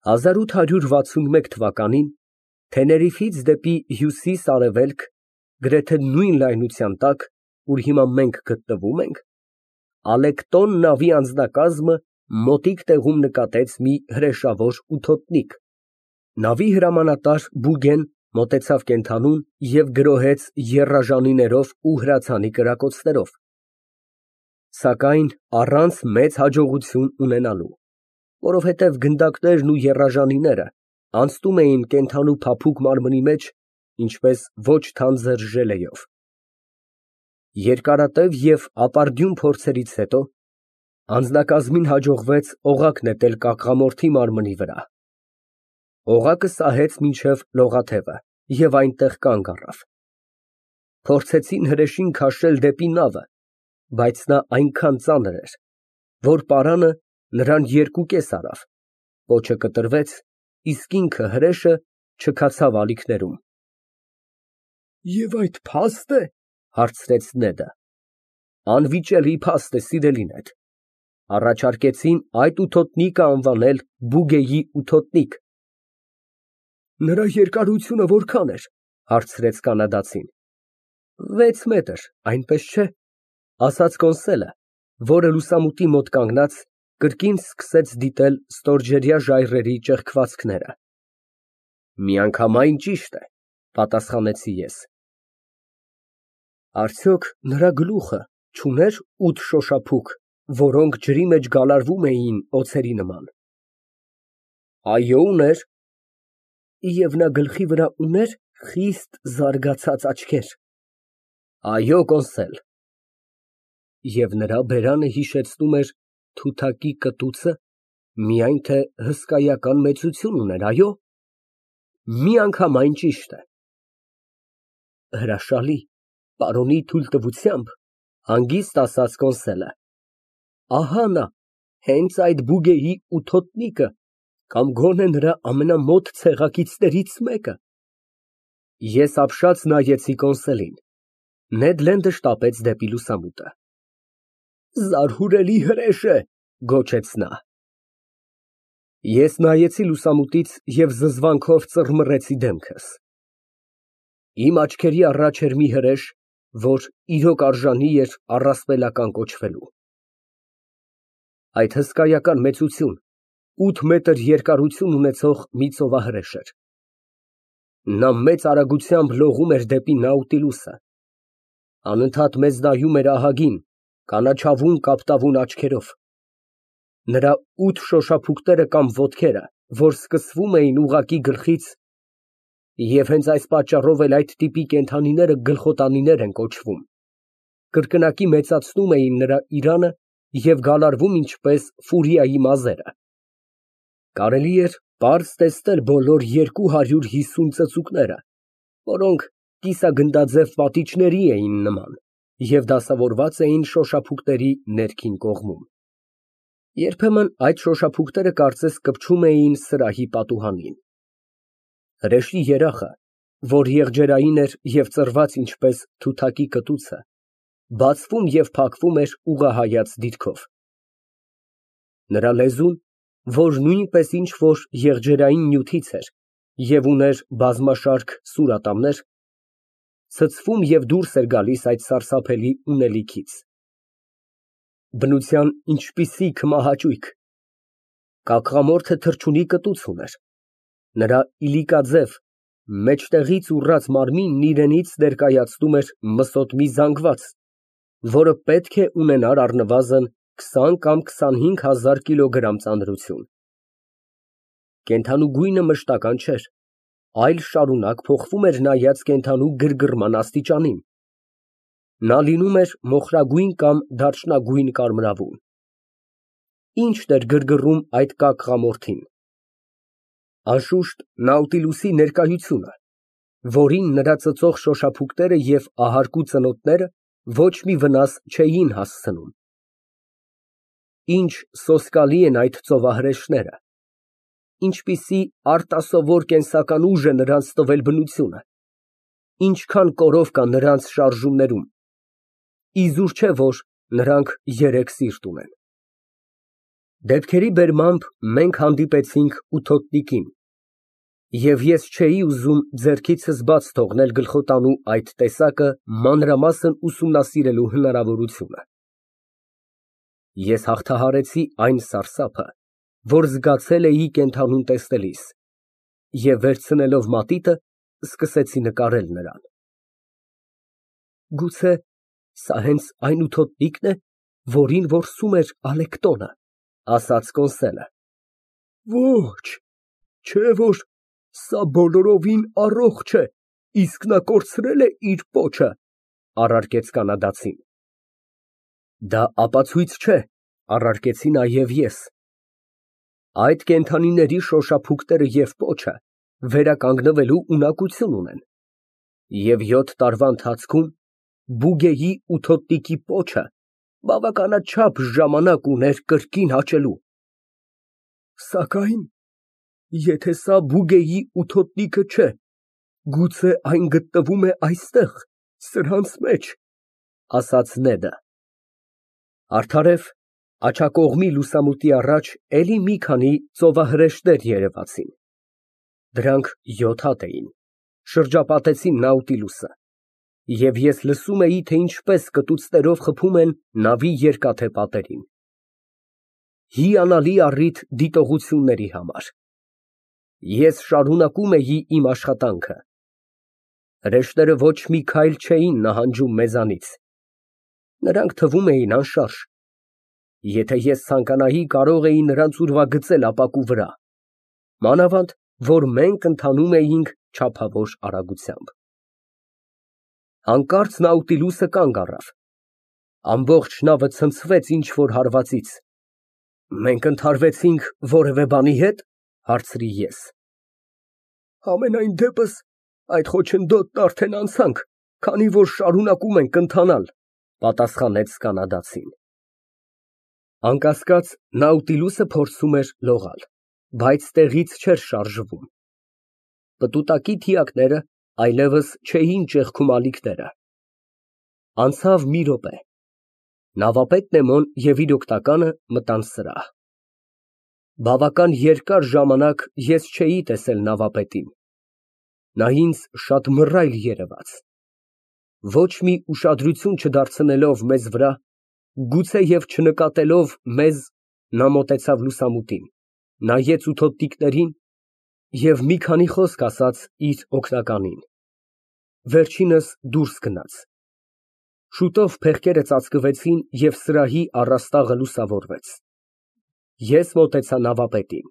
1861 թվականին Թեներիֆից դեպի հյուսիս֊արևելք, գրեթե նույն լայնության տակ, ուր հիմա մենք գտնվում ենք, Ալեկտոն նավի անձնակազմը մոտիկ տեղում նկատեց մի հրեշավոր ութոտնիկ, նավի հրամանատար Բուգեն մոտեցավ կենդանուն և գրոհեց եռաժանիներով ու հրացանի կրակոցներով, սակայն առանց մեծ հաջողություն ունենալու, որովհետև գնդակներն ու եռաժանիները անցնում էին կենդանու փափուկ մարմնի մեջ, ինչպես ոչ թանձր ժելեյով։ Երկարատև և ապարդյուն փորձերից հետո անձնակազմին հաջողվեց օղակ նետել կաղկամորթի մարմնի վրա։ Օղակը սահեց մինչև լողաթևը և այնտեղ կանգ առավ։ Փորձեցին հրեշին քաշել դեպի նավը, բայց նա այնքան ծանր էր, որ պարանը նրան երկուկես արավ, պոչը կտրվեց, իսկ ինքը հրեշը չքացավ ալիքներում։ «Եվ այդ փա՞ստ է, ֊ հարցրեց Նեդը։ ֊ Անվիճելի փաստ է, սիրելի նեթ, առաջարկեցին այդ ութոտնիկը անվանել Բուգեի ութոտնիկ։ ֊ Նրա երկարությունը որքան էր, ֊ հարցրեց կանադացին։ ֊ 6 մետր, այնպես չէ, ֊ ասաց Կոնսելը, որը լուսամուտի մոտ կանգնած, կրկին սկսեց դիտել ստորջրյա ժայռերի ճեղքվածքները։ ֊ Միանգամայն ճիշտ է, ֊ պատասխանեցի ես։ ֊ Արդյոք նրա գլուխը չուներ 8 շոշափուկ, որոնք ջրի մեջ գալարվում էին օձերի նման։ ֊ Այո, ուներ։ ֊ Եվ նա գլխի վրա ունե՞ր խիստ զարգացած աչքեր։ ֊ Այո, կոնսել։ ֊ Եվ նրա բերանը հիշեցնում էր թութակի կտուցը, միայն թե հսկայական մեծություն ուներ, այո։ ֊ Միանգամայն ճիշտ է։ ֊ Հրաշալի, պարոնի թույլտվությամբ, ֊ հանգիստ ասաց Կոնսելը, ֊ ահա նա, հենց այդ Բուգեի ութոտնիկը, կամ գոնե նրա ամենամոտ ցեղակիցներից մեկը։ Ես ապշած նայեցի Կոնսելին։ Նեդ Լենդը շտապեց դեպի լուսամուտը։ Զարհուրելի հրեշ է, ֊ գոչեց նա։ Ես նայեցի լուսամուտից և զզվանքով ծռմռեցի դեմքս։ Իմ աչքերի առաջ էր մի հրեշ, որ իրոք արժանի էր առասպելական կոչվելու։ Այդ հսկայական մեծություն, 8 մետր երկարություն ունեցող մի ծովահրեշ էր։ Նա մեծ արագությամբ լողում էր դեպի Նաուտիլուսը։ Անընդհատ մեզ նայում էր ահագին, կանաչավուն կապտավուն աչքերով։ Նրա 8 շոշափուկները կամ ոտքերը, որ սկսվում էին ուղղակի գլխից, և հենց այս պատճառով էլ այդ տիպի կենդանիները գլխոտանիներ են կոչվում, կրկնակի մեծացնում էին նրա իրանը և գալարվում ինչպես ֆուրիայի մազերը։ Կարելի էր պարզ տեսնել բոլոր 250 ծծուկները, որոնք կիսագնդաձև պատիճների էին նման և դասավորված էին շոշափուկների ներքին կողմում։ Երբեմն այդ շոշափուկները կարծես կպչում էին սրահի պատուհանին։ Հրեշի երախը, որ եղջերային էր և ծռված ինչպես թութակի կտուցը, բացվում և փակվում էր ուղղահայաց դիրքով։ Նրա լեզուն, որ նույնպես ինչ֊որ եղջերային նյութից էր և ուներ բազմաշարք սուրատամներ, ցցվում և դուրս էր գալիս այդ սարսափելի ունելիքից։ Բնության ինչպիսի քմահաճույք։ Կաղկամորթը թռչունի կտուց ուներ։ Նրա իլիկաձև, մեջտեղից ուռած մարմինն իրենից ներկայացնում էր մսոտմի զանգված, որը պետք է ունենար առնվազն 20 կամ 25 հազար կիլոգրամ ծանրություն։ Կենդանու գույնը մշտական չէր, այլ շարունակ փոխվում էր նայած կենդանու գրգռման աստիճանին։ Նա լինում էր մոխրագույն կամ դարչնագույն կարմրավուն։ Ի՞նչն էր գրգռում այդ կաղկամորթին։ Անշուշտ, Նաուտիլուսի ներկայությունը, որին նրա ծծող շոշափուկները և ահարկու ծնոտները ոչ մի վնաս չէին հասցնում։ Ինչ սոսկալի են այդ ծովահրեշները, ինչպիսի արտասովոր կենսական ուժ է նրանց տվել բնությունը, ինչքան կորով կա նրանց շարժումներում, իզուր չէ, որ նրանք երեք սիրտ ունեն։ Դեպքերի բերմամբ մենք հանդիպեցինք ութոտնիկին, և ես չէի ուզում ձեռքիցս բաց թողնել գլխոտանու այդ տեսակը մանրամասն ուսումնասիրելու հնարավորությունը։ Ես հաղթահարեցի այն սարսափը, որ զգացել էի կենդանուն տեսնելիս, և վերցնելով մատիտը, սկսեցի նկարել նրան։ Գուցե սա հենց այն ութոտնի՞կն է, որին որսում էր Ալեկտոնը, ասաց Կոնսելը։ Ոչ, չէ որ սա բոլորովին առողջ է, իսկ նա կորցրել է իր պոչը, առարկեց կանադացին։ Դա ապացույց չէ, առարկեցի նաև ես։ Այդ կենդանիների շոշափուկները և պոչը վերականգնվելու ունակություն ունեն, և 7 տարվա ընթացքում Բուգեի ութոտնիկի պոչը բավականաչափ ժամանակ ուներ կրկին հաճելու։ Սակայն եթե սա Բուգեի ութոտնիկը չէ, գուցե այն գտնվում է այստեղ, սրանց մեջ, ասաց Նեդը։ Արդարև, աջակողմի լուսամուտի առաջ էլի մի քանի ծովահրեշտներ երևացին։ Դրանք 7 հատ էին, շրջապատեցին Նաուտիլուսը, և ես լսում էի, թե ինչպես կտուցներով խփում են նավի երկաթե պատերին։ Հիանալի առիթ դիտողությունների համար։ Ես շարունակում էի իմ աշխատանքը։ Հրեշտերը ոչ մի քայլ չէին նահանջում մեզանից։ Նրանք թվում էին անշարժ։ Եթե ես ցանկանայի, կարող էի նրանց ուրվագծել ապակու վրա, մանավանդ որ մենք ընթանում էինք չափավոր արագությամբ։ Հանկարծ Նաուտիլուսը կանգ առավ։ Ամբողջ նավը ցնցվեց ինչ֊որ հարվածից։ Մենք ընդհարվեցինք որևէ բանի հետ, հարցրի ես։ Համենայն դեպս այդ խոչընդոտն արդեն անցանք, քանի որ շարունակում ենք ընթանալ, պատասխանեց կանադացին։ Անկասկած, Նաուտիլուսը փորձում էր լողալ, բայց տեղից չէր շարժվում։ Պտուտակի թիակները այլևս չէին ճեղքում ալիքները։ Անցավ մի րոպե։ Նավապետ Նեմոն և իր օգնականը մտան սրահ։ Բավական երկար ժամանակ ես չէի տեսել նավապետին։ Նա ինձ շատ մռայլ երևաց։ Ոչ մի ուշադրություն չդարձնելով մեզ վրա, գուցեև չնկատելով մեզ, նա մոտեցավ լուսամուտին, նայեց ութոտնիկներին և մի քանի խոսք ասաց իր օգնականին։ Վերջինս դուրս գնաց։ Շուտով փեղկերը ծածկվեցին և սրահի առաստաղը լուսավորվեց։ Ես մոտեցա նավապետին։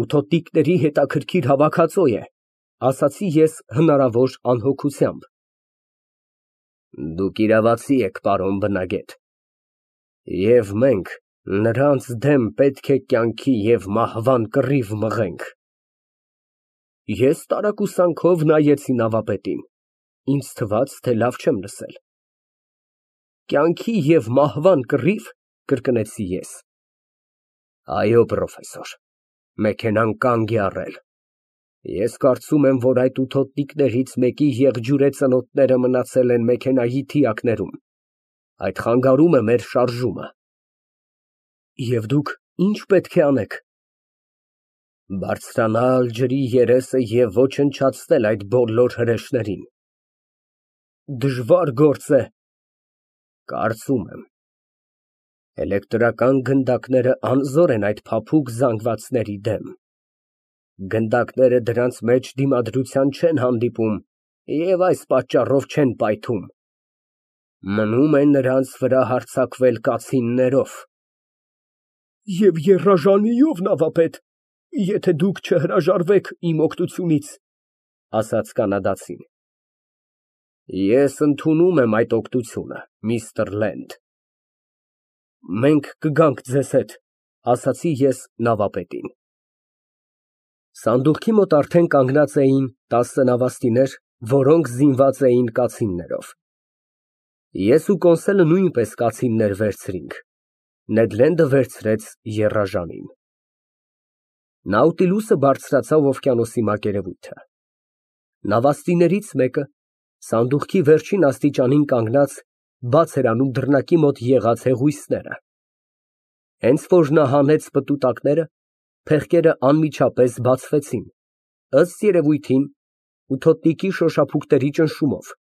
Ութոտնիկների հետաքրքիր հավաքածո է, ասացի ես հնարավոր անհոգությամբ։ Դուք իրավացի եք, պարոն բնագետ, և մենք նրանց դեմ պետք է կյանքի և մահվան կռիվ մղենք։ Ես տարակուսանքով նայեցի նավապետին, ինձ թվաց, թե լավ չեմ լսել։ Կյանքի և մահվան կռի՞վ, կրկնեցի ես։ Այո, պրոֆեսոր, մեքենան կանգ է առել։ Ես կարծում եմ, որ այդ ութոտնիկներից մեկի եղջյուրե ծնոտները մնացել են մեքենայի թիակներում, այդ խանգարում է մեր շարժումը։ Եվ դուք ի՞նչ պետք է անեք։ Բարձրանալ ջրի երեսը և ոչնչացնել այդ բոլոր հրեշներին։ Դժվար գործ է։ Կարծում եմ։ Էլեկտրական գնդակները անզոր են այդ փափուկ զանգվածների դեմ։ Գնդակները դրանց մեջ դիմադրության չեն հանդիպում և այս պատճառով չեն պայթում։ Մնում է նրանց վրա հարձակվել կացիններով։ Եվ եռաժանիով, նավապետ, եթե դուք չհրաժարվեք իմ օգնությունից, ասաց կանադացին։ Ես ընդունում եմ այդ օգնությունը, միստր Լենդ։ Մենք կգանք ձեզ հետ, ասացի ես նավապետին։ Սանդուղքի մոտ արդեն կանգնած էին 10 նավաստիներ, որոնք զինված էին կացիններով։ Ես ու Կոնսելը նույնպես կացիններ վերցրինք, Նեդ Լենդը վերցրեց եռաժանին։ Նաուտիլուսը բարձրացավ օվկիանոսի մակերևույթը։ Նավաստիներից մեկը, սանդուղքի վերջին աստիճանին կանգնած, բաց էր անում դռնակի մոտ եղած հեղուիսները։ Հենց որ նա հանեց պտուտակները, փեղկերը անմիջապես բացվեցին, ըստ երևույթին, ութոտնիկի շոշափուկների ճնշումով։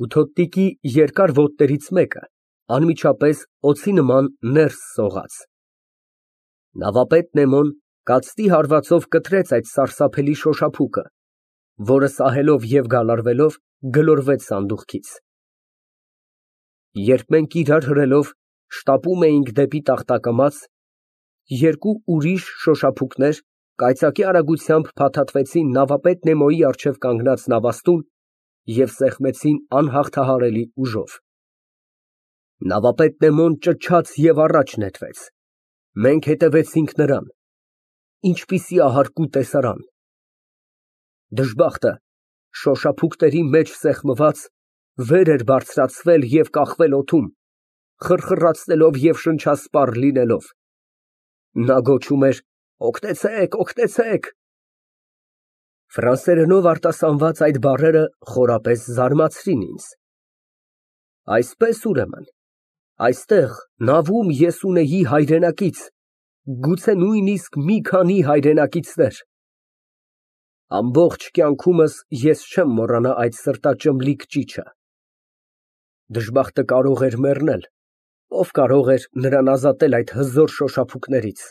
Ութոտնիկի երկար ոտներից մեկը անմիջապես օձի նման ներս սողաց։ Նավապետ Նեմոն կացտի հարվածով կտրեց այդ սարսափելի շոշափուկը, որը սահելով և գալարվելով գլորվեց սանդուղքից։ Երբ մենք իրար հրելով շտապում էինք դեպի տախտակամաց, երկու ուրիշ շոշափուկներ կայծակի արագությամբ փաթաթվեցին նավապետ Նեմոյի առջև կանգնած նավաստուն և սեղմեցին անհաղթահարելի ուժով։ Նավապետ Նեմոն ճչաց և առաջ նետվեց։ Մենք հետևեցինք նրան։ Ինչպիսի ահարկու տեսարան։ Դժբախտը, շոշափուկների մեջ սեղմված, վեր էր բարձրացվել և կախվել օդում, խռխռացնելով և շնչասպառ լինելով։ Նա գոչում էր. «Օգնեցե՛ք, օգնեցե՛ք»։ Ֆրանսերենով արտասանված այդ բառերը խորապես զարմացրին ինձ։ Այսպես, ուրեմն, այստեղ նավում ես ունեի հայրենակից, գուցե նույնիսկ մի քանի հայրենակիցներ։ Ամբողջ կյանքումս ես չեմ մոռանա այդ սրտաճմլիկ ճիչը։ Դժբախտը կարող էր մեռնել, ով կարող էր նրան ազատել այդ հզոր շոշափուկներից։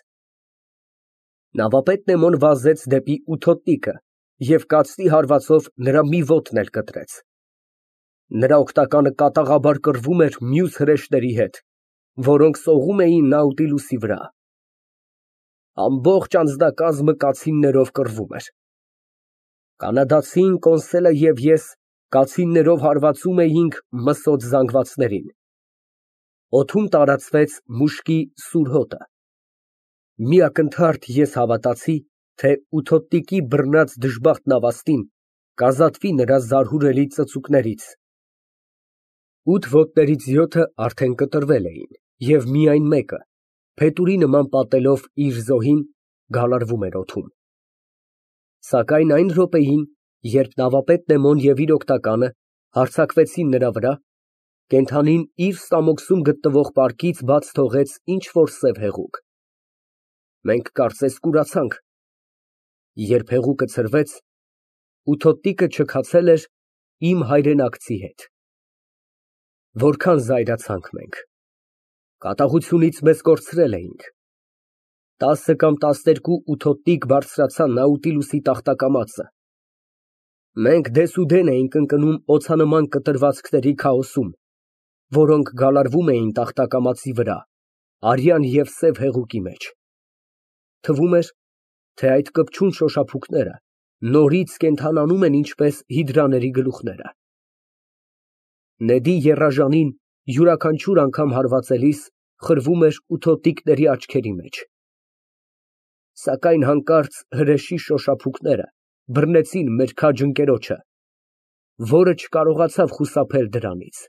Նավապետ Նեմոն վազեց դեպի ութոտնիկը և կացտի հարվածով նրա մի ոտն էլ կտրեց։ Նրա օգնականը կատաղաբար կռվում էր մյուս հրեշների հետ, որոնք սողում էին Նաուտիլուսի վրա։ Ամբողջ անձնակազմը կացիններով կռվում էր։ Կանադացին, Կոնսելը և ես կացիններով հարվածում էինք մսոտ զանգվածներին։ Օդում տարածվեց մուշկի սուր հոտը։ Մի ակնթարթ ես հավատացի, թե ութոտնիկի բռնած դժբախտ նավաստին կազատվի նրա զարհուրելի ծծուկներից։ 8 ոտներից 7-ը արդեն կտրվել էին, և միայն մեկը, փետուրի նման պատելով իր զոհին, գալարվում էր օդում։ Սակայն այն րոպեին, երբ նավապետ Նեմոն և իր օգնականը հարձակվեցին նրա վրա, կենդանին իր ստամոքսում գտնվող պարկից բաց թողեց ինչ֊որ սև հեղուկ։ Մենք կարծես կուրացանք։ Երբ հեղուկը ցրվեց, ութոտնիկը չքացել էր իմ հայրենակցի հետ։ Որքան զայրացանք մենք։ Կատաղությունից մեզ կորցրել էինք։ 10 կամ 12 ութոտնիկ բարձրացան Նաուտիլուսի տախտակամածը։ Մենք դեսուդեն էինք ընկնում օձանման կտրվածքների քաոսում, որոնք գալարվում էին տախտակամածի վրա, արյան և սև հեղուկի մեջ։ Թվում էր, թե այդ կպչուն շոշափուկները նորից կենդանանում են ինչպես հիդրաների գլուխները։ Նեդի եռաժանին յուրաքանչյուր անգամ հարվածելիս խրվում էր ութոտնիկների աչքերի մեջ։ Սակայն հանկարծ հրեշի շոշափուկները բռնեցին մեր քաջ ընկերոջը, որը չկարողացավ խուսափել դրանից։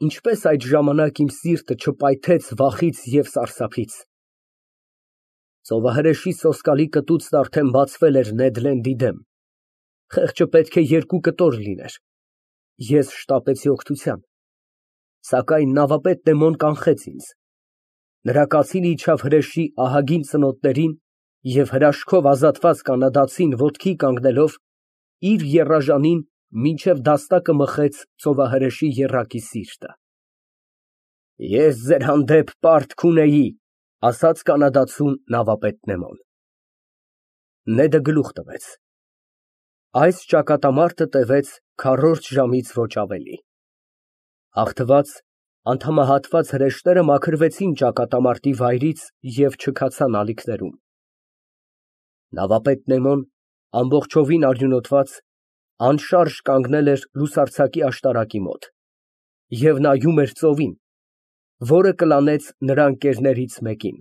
Ինչպես այդ ժամանակ իմ սիրտը չպայթեց վախից և սարսափից։ Ծովահրեշի սոսկալի կտուցն արդեն բացվել էր Նեդ Լենդի դեմ։ Խեղճը պետք է 2 կտոր լիներ։ Ես շտապեցի օգնության, սակայն նավապետ Նեմոն կանխեց ինձ։ Նրա կացինը իջավ հրեշի ահագին ծնոտներին և հրաշքով ազատված կանադացին ոտքի կանգնելով, իր եռաժանին մինչև դաստակը մխեց ծովահրեշի եռակի սիրտը։ Ես ձեր հանդեպ պարտք ունեի, ասաց կանադացուն նավապետ Նեմոն։ Նեդը գլուխ տվեց։ Այս ճակատամարտը տևեց քառորդ ժամից ոչ ավելի։ Հաղթված, անդամահատված հրեշները մաքրվեցին ճակատամարտի վայրից և չքացան ալիքներում։ Նավապետ Նեմոն, ամբողջովին արյունոտված, անշարժ կանգնել էր լուսարձակի աշտարակի մոտ և նայում էր ծովին, որը կլանեց նրա ընկերներից մեկին։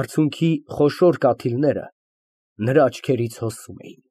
Արցունքի խոշոր կաթիլները նրա աչքերից հոսում էին։